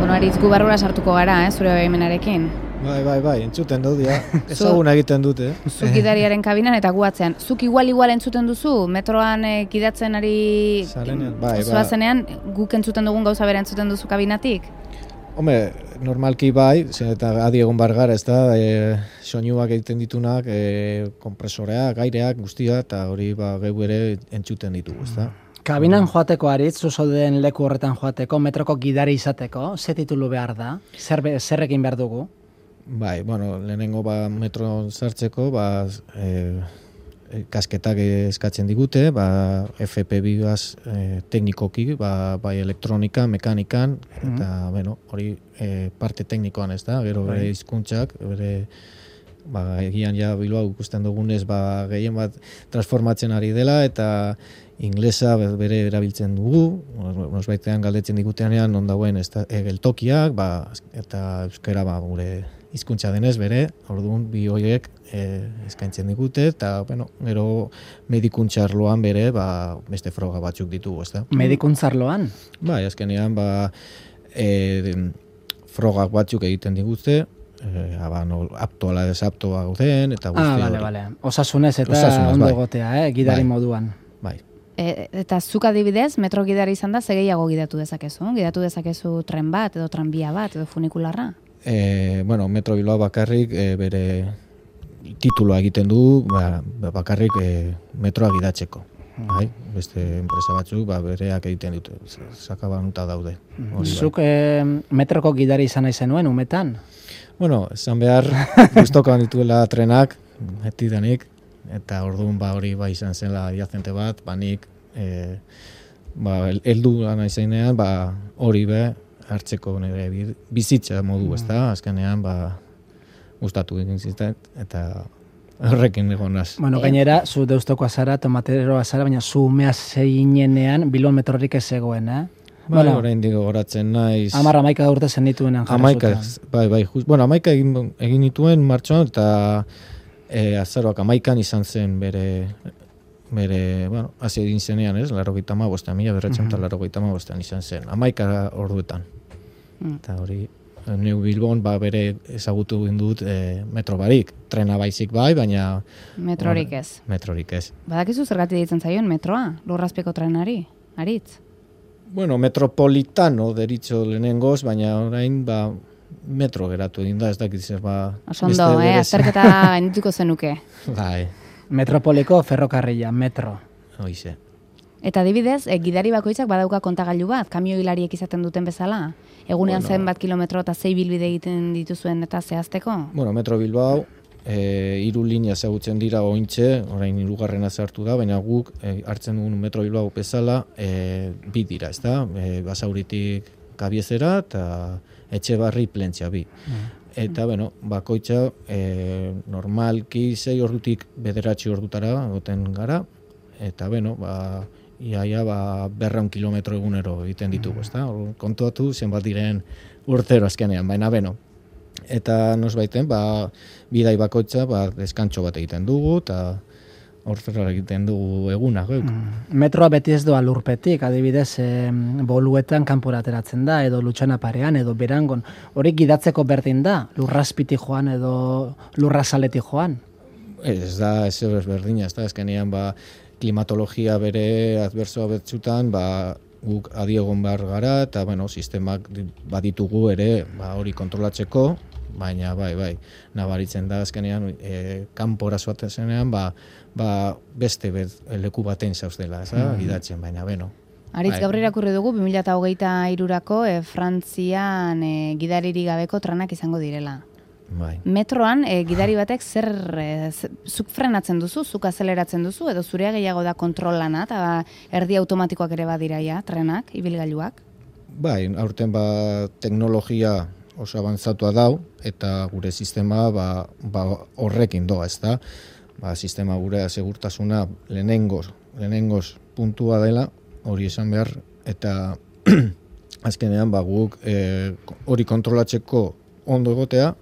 Bueno, Aritz, gu barrura sartuko gara, zure baimenarekin. Bai, entzuten dut, ja. Ezaguna egiten dute. Zuk gidariaren kabinan eta gu atzean. Zuk igual entzuten duzu, metroan gidatzen ari zoazenean, guk entzuten dugun gauza bera entzuten duzu kabinatik? Hombre, normalki bai, eta adi egon bar gara, ez da, soinuak egiten ditunak, kompresoreak, aireak, guztia, eta hori geu ere entzuten ditugu, ez da. Kabinan joateko Aritz, zuzauden leku horretan joateko, metroko gidari izateko, ze titulu behar da? Zerrekin behar dugu? Bai, bueno, lehenengo metro sartzeko, kasketak eskatzen digute, FP2 teknikoki, bai elektronika, mekanikan, eta, bueno, hori parte teknikoan ez da, gero bere hizkuntzak, bere egian ja Bilbao ikusten dugunez, gehien bat transformatzen ari dela, eta inglesa bere erabiltzen dugu, nosbaitean galdetzen diguteanean non dagoen geltokiak, eta euskara gure hizkuntza denez bere, orduan bi horiek eskaintzen digute, eta gero medikuntza arloan bere beste froga batzuk ditugu, ezta? Medikuntza arloan? Bai, azkenean frogak batzuk egiten digute, apto ala desaptoa gauden, eta guzti hori. Bale. Osasunez eta ondo egotea, gidari moduan. Bai. Eta zuk adibidez, metro gidari izan da, ze gehiago gidatu dezakezu? Gidatu dezakezu tren bat, edo tranbia bat, edo funikularra? Metro Bilbao bakarrik bere tituloa egiten du, bakarrik metroa gidatzeko. Beste enpresa batzuk bereak egiten dute, sakabanuta daude. Zuk metroko gidari izan nahi zenuen, umetan? Bueno, esan behar, guztokoan dituela trenak, etidanik, eta orduan hori izan zela jazente bat, nik heldu nahi zeinean, hori hartzeko nire bizitza modu, ez da, azkenean gustatu egin zizten, eta horrekin egon naz. Bueno, gainera, zu deustokoa zara, tomateroa zara, baina zu umea zeinenean Bilbon metrorik ez zegoen, Orain digo horatzen naiz. 11 urte zen dituen jarra zuten. Bai. Bueno, 11 egin nituen martxoan, eta azaroak 11 izan zen bere hasi egin zenean, ez? 95, 1995 izan zen. 11 orduetan. Eta hori, neu Bilbon bere ezagutu dut metro barik. Trena baizik bai, baina... Metrorik ez. Badakizu zergatik ditzen zaion metroa, lurrazpiko trenari, Aritz? Bueno, metropolitano deritzo lehenengoz, baina orain metro geratu egin da, ez dakit zer Osondo, azterketa gainituko zenuke. Bai. Metropoliko ferrokarrila, metro. Hoize. Eta adibidez, gidari bakoitzak badauka kontagailu bat, kamio hilariek izaten duten bezala? Egunean zenbat kilometro eta 6 bilbide egiten dituzuen eta zehazteko? Bueno, Metro Bilbao, 3 linea ezagutzen dira ointxe, orain 3. sartu da, baina guk hartzen dugun Metro Bilbao bezala 2 dira, ez da? Basauritik Kabiezera eta Etxebarri Plentzia 2. Eta, bakoitza normalki 6 ordutik 9 ordutara egoten gara, eta, iaia 200 kilometro egunero egiten ditugu, ez da? Kontuatu zenbat diren urtero azkenean, baina, eta nosbaiten, bidai bakoitza, deskantxo bat egiten dugu, eta horrela egiten dugu eguna. Metroa beti ez doa lurpetik, adibidez, boluetan kanpora ateratzen da, edo Lutxana parean, edo Berangon. Hori gidatzeko berdin da, lurrazpitik joan, edo lurrazaletik joan? Ez da, ez berdina, ez da, ezkenean, klimatologia bere adbersoa betzutan, guk adiegon behar gara, eta, sistemak baditugu ere, hori kontrolatzeko, baina, nabaritzen da, azkenean, kanpora zoatzen zenean, beste leku baten zauztela, gidatzen, baina, Aritz, gaur irakurri dugu, 2023-rako Frantzian gidaririk gabeko trenak izango direla. Bai. Metroan, gidari batek zuk frenatzen duzu, zuk azeleratzen duzu, edo zurea gehiago da kontrolana, eta erdi automatikoak ere badiraia, trenak, ibilgailuak? Bai, aurten teknologia oso abantzatua dau, eta gure sistema horrekin doa, ez da? Sistema gure segurtasuna lehenengoz puntua dela, hori esan behar, eta azkenean guk hori kontrolatzeko ondo egotea,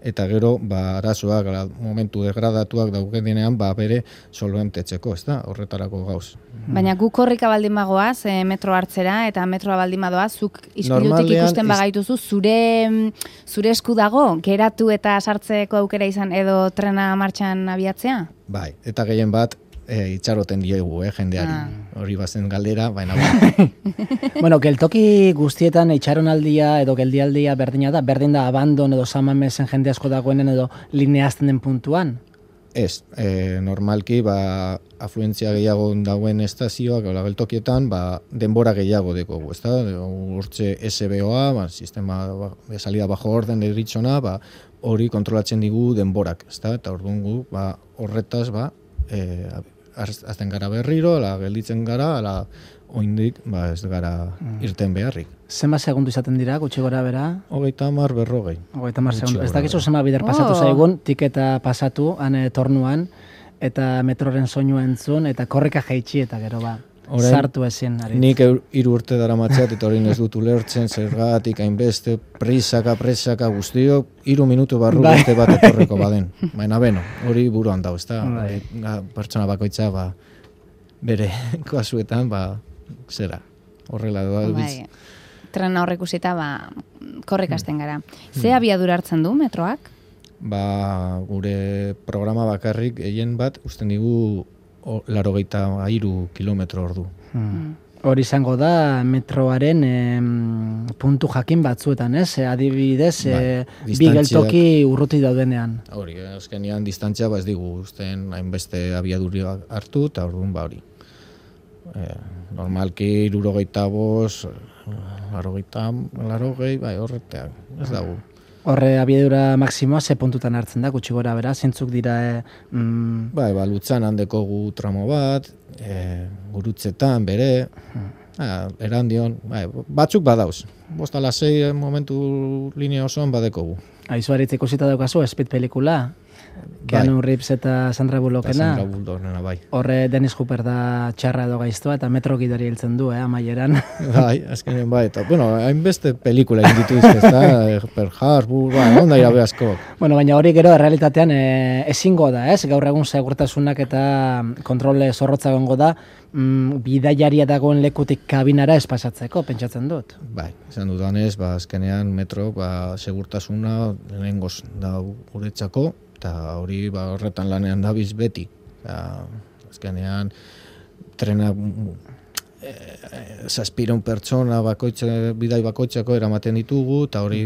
eta gero arazoak momentu degradatuak daukenean bere solventetzeko, ezta? Horretarako gauz. Baina guk korrika baldin bagoaz, metro hartzera eta metroa baldin badoaz, zuk ispilutik ikusten bagaituzu, zure esku dago, geratu eta sartzeko aukera izan edo trena martxan abiatzea? Bai, eta gehien bat, itxaroten diegu, jendeari. Hori bazen galdera, baina... Bueno, geltoki guztietan itxaronaldia edo geldialdia berdin da abandon edo samamesen jende asko dagoenen edo lineazten den puntuan? Ez, normalki, afluentzia gehiago dagoen estazioak, geltokietan, denbora gehiago dekogu, ezta? Hortze SBOa, sistema de salida bajo orden deritzona, hori kontrolatzen digu denborak, ezta? Eta orduan gu, horretaz, azten gara berriro, gelditzen gara, oindik ez gara irten beharrik. Zenba segundu izaten dira, gutxi gora bera? 30, 40. 30 segundu. Ez dakizu zenba bider pasatu zaigun, tiketa pasatu, tornuan, eta metroren soinua entzun, eta korrika jaitsi, eta gero sartu ezin. Nik 3 urte dara matxat, eta hori ez dut ulertzen, zergatik, hainbeste, presaka guztio, 3 minutu barru beste bat etorreko baden. Baina beno, hori buruan dago, ezta? Pertsona bakoitza, bere kasuetan, zera, horrela doa. Trena horrek usita, korrika hasten gara. Ze abiadura hartzen du metroak? Gure programa bakarrik egin bat, usten digu 83 kilometro ordu. Hori izango da metroaren puntu jakin batzuetan, ez? Adibidez, bi geltoki urruti daudenean. Hori, azkenean distantzia ez digu usten hainbeste abiadura hartu, eta orduan hori. Normalki 75, 80, horreteak, ez dago. Horre abiadura maksimoa ze puntutan hartzen da, gutxi gora bera, zintzuk dira... Lutzan handeko gu tramo bat, gurutzetan bere, erandion, batzuk badauz. 5-6 momentu linea osoan badekogu. Aizu haritz ikusita daukazu, Speed pelikula? Keanu Reeves eta Sandra Bullockena. Sandra Bullockena, bai. Horre Dennis Hopper da txarra edo gaiztoa eta metro gidari hiltzen du, amaieran. Bai, azkenen bai. Eta, hainbeste pelikula inditu izkez, Pearl Harbor, onda irabe asko. Baina hori gero, realitatean ezingo da, ez? Gaur egun segurtasunak eta kontrole zorrotza gongo da, bidaiaria dagoen lekutik kabinara espasatzeko, pentsatzen dut. Bai, izan dudanez, azkenean metro, segurtasuna lehenengoz da guretzako, eta hori horretan lanean dabiz beti. Azkenean, trena zazpiron pertsona bidai bakoitzako eramaten ditugu, eta hori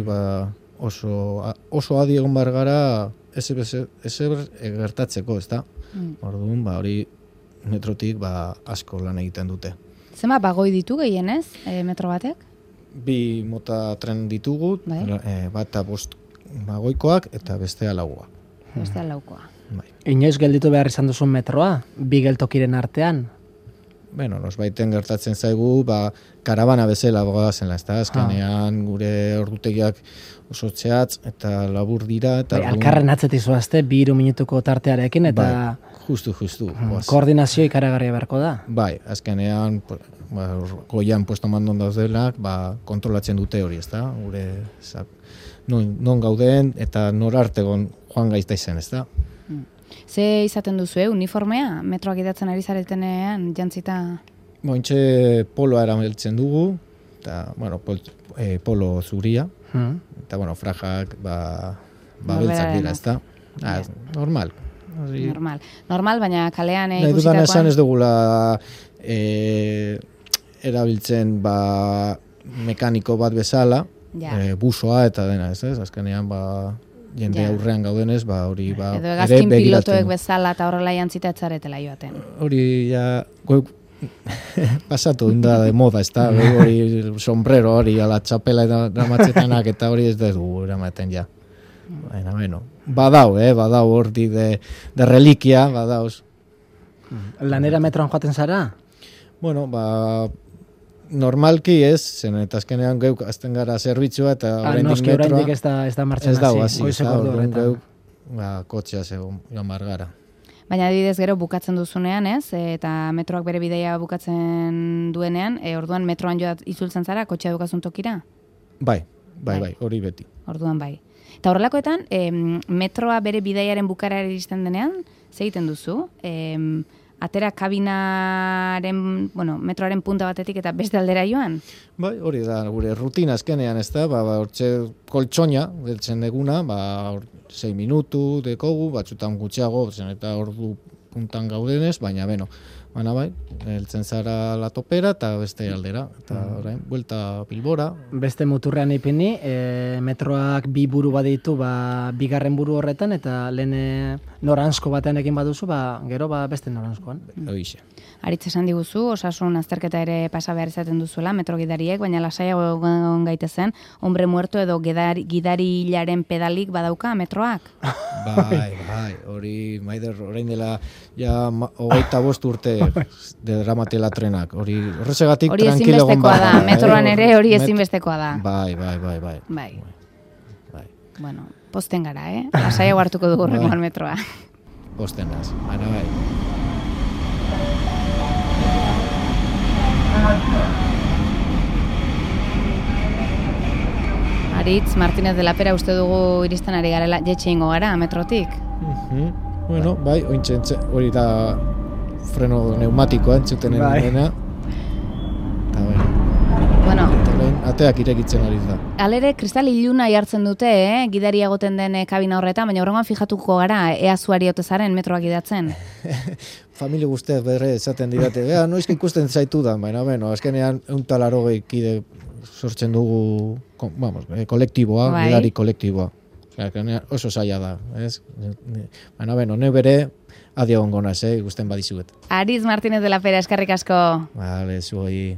oso adi egon bar gara ezer gertatzeko, ez da? Orduan, hori metrotik asko lan egiten dute. Zema bagoi ditu gehienez, metro batek? 2 mota tren ditugu, bat 5 bagoikoak eta bestea 4. Bestea 4. Inoiz gelditu behar izan duzun metroa, 2 geltokiren artean? Nosbaiten gertatzen zaigu, karabana bezala gogazenla, ez da, azkenean gure ordutegiak oso txeatz eta labur dira. Alkarren atzetik zoazte, 2 minutuko tartearekin, eta... Justu. Koordinazio ikaragarria beharko da? Bai, azkenean, goian puesto mandon daudenak, kontrolatzen dute hori, ez da, gure non gauden eta norartegon joan gaizta izan, ez da. Ze izaten duzu, uniformea? Metroak idatzen ari zaretenean, jantzita? Intxe poloa erameltzen dugu, eta, polo zuria, eta, frajak, beltzak dira, ez da. Normal. Normal, baina kalean ikusitakoan... Nahi dudan esan ez dugula erabiltzen mekaniko bat bezala, busoa eta dena, ez? Azkenean, jende aurrean gaudenez, hori edo egazkin pilotoek bezala eta horrela jantzita etzaretela joaten. Hori, pasatu da de moda, ez da, hori sombrero hori, ala txapela eramatzetenak eta hori ez dugu eramaten ja. Baina, badau hori de reliquia, badauz. Lanera metroan joaten zara? Normalki ez, zen eta azkenean geuk azten gara zerbitzua eta oraindik metroa. Oraindik ez da martxan hasi. Ez da, orduan geuk kotxea joan gara. Baina adibidez gero bukatzen duzunean, ez? Eta metroak bere bidaia bukatzen duenean, orduan metroan joat izultzen zara, kotxea dukazun tokira? Bai, Bai, hori beti. Orduan bai. Eta horrelakoetan, metroa bere bidaiaren bukaera iristen denean, ze egiten duzu? Atera kabinaren, metroaren punta batetik eta beste aldera joan? Bai, hori da, gure rutina azkenean, ez da, hortxe koltsoina, deltzen eguna, 6 minutu dekogu, batzutan gutxiago, eta ordu puntan gaudenez, baina bai, heltzen zara la topera eta beste aldera, eta orain, buelta Bilbora. Beste muturrean ipini, metroak 2 buru baditu, bigarren buru horretan, eta lehen noranzko batean egin baduzu, gero beste noranzkoan. Hoixe. Aritz esan diguzu, osasun azterketa ere pasa behar izaten duzuela, metro gidariek, baina lasaiago egon gaitezen, hombre muerto edo gidarilaren pedalik badauka metroak? Bai, hori, Maider, orain dela, 25 urte dramatela trenak, hori horrezegatik tranquilo egon ezinbestekoa da, metroan ere hori ezinbestekoa da. Bai. Bueno, posten gara, lasaiago hartuko dugu rengoan metroa. Posten gaz, baina bai. Aritz, Martínez de la Pera uste dugu iristen ari garela, jetxe ingo gara, metrotik? Bueno, bai, hori da freno neumatikoa entzuten dena. Eta bueno, ateak irekitzen ari da. Alere, kristal iluna jartzen dute, gidari egoten den kabina horretan, baina horrengoan fijatuko gara, ea zuari otezaren metroak gidatzen. Familia guztiak berre esaten didate, noizk ikusten zaitu da, baina, azkenean 180 kide sortzen dugu, kolektiboa, gidari kolektiboa. Oso zaila da, ez? Baina, ne bere, adio ongonaz, ikusten badizuet. Aritz Martínez de la Pera, eskerrik asko. Vale, zuoi.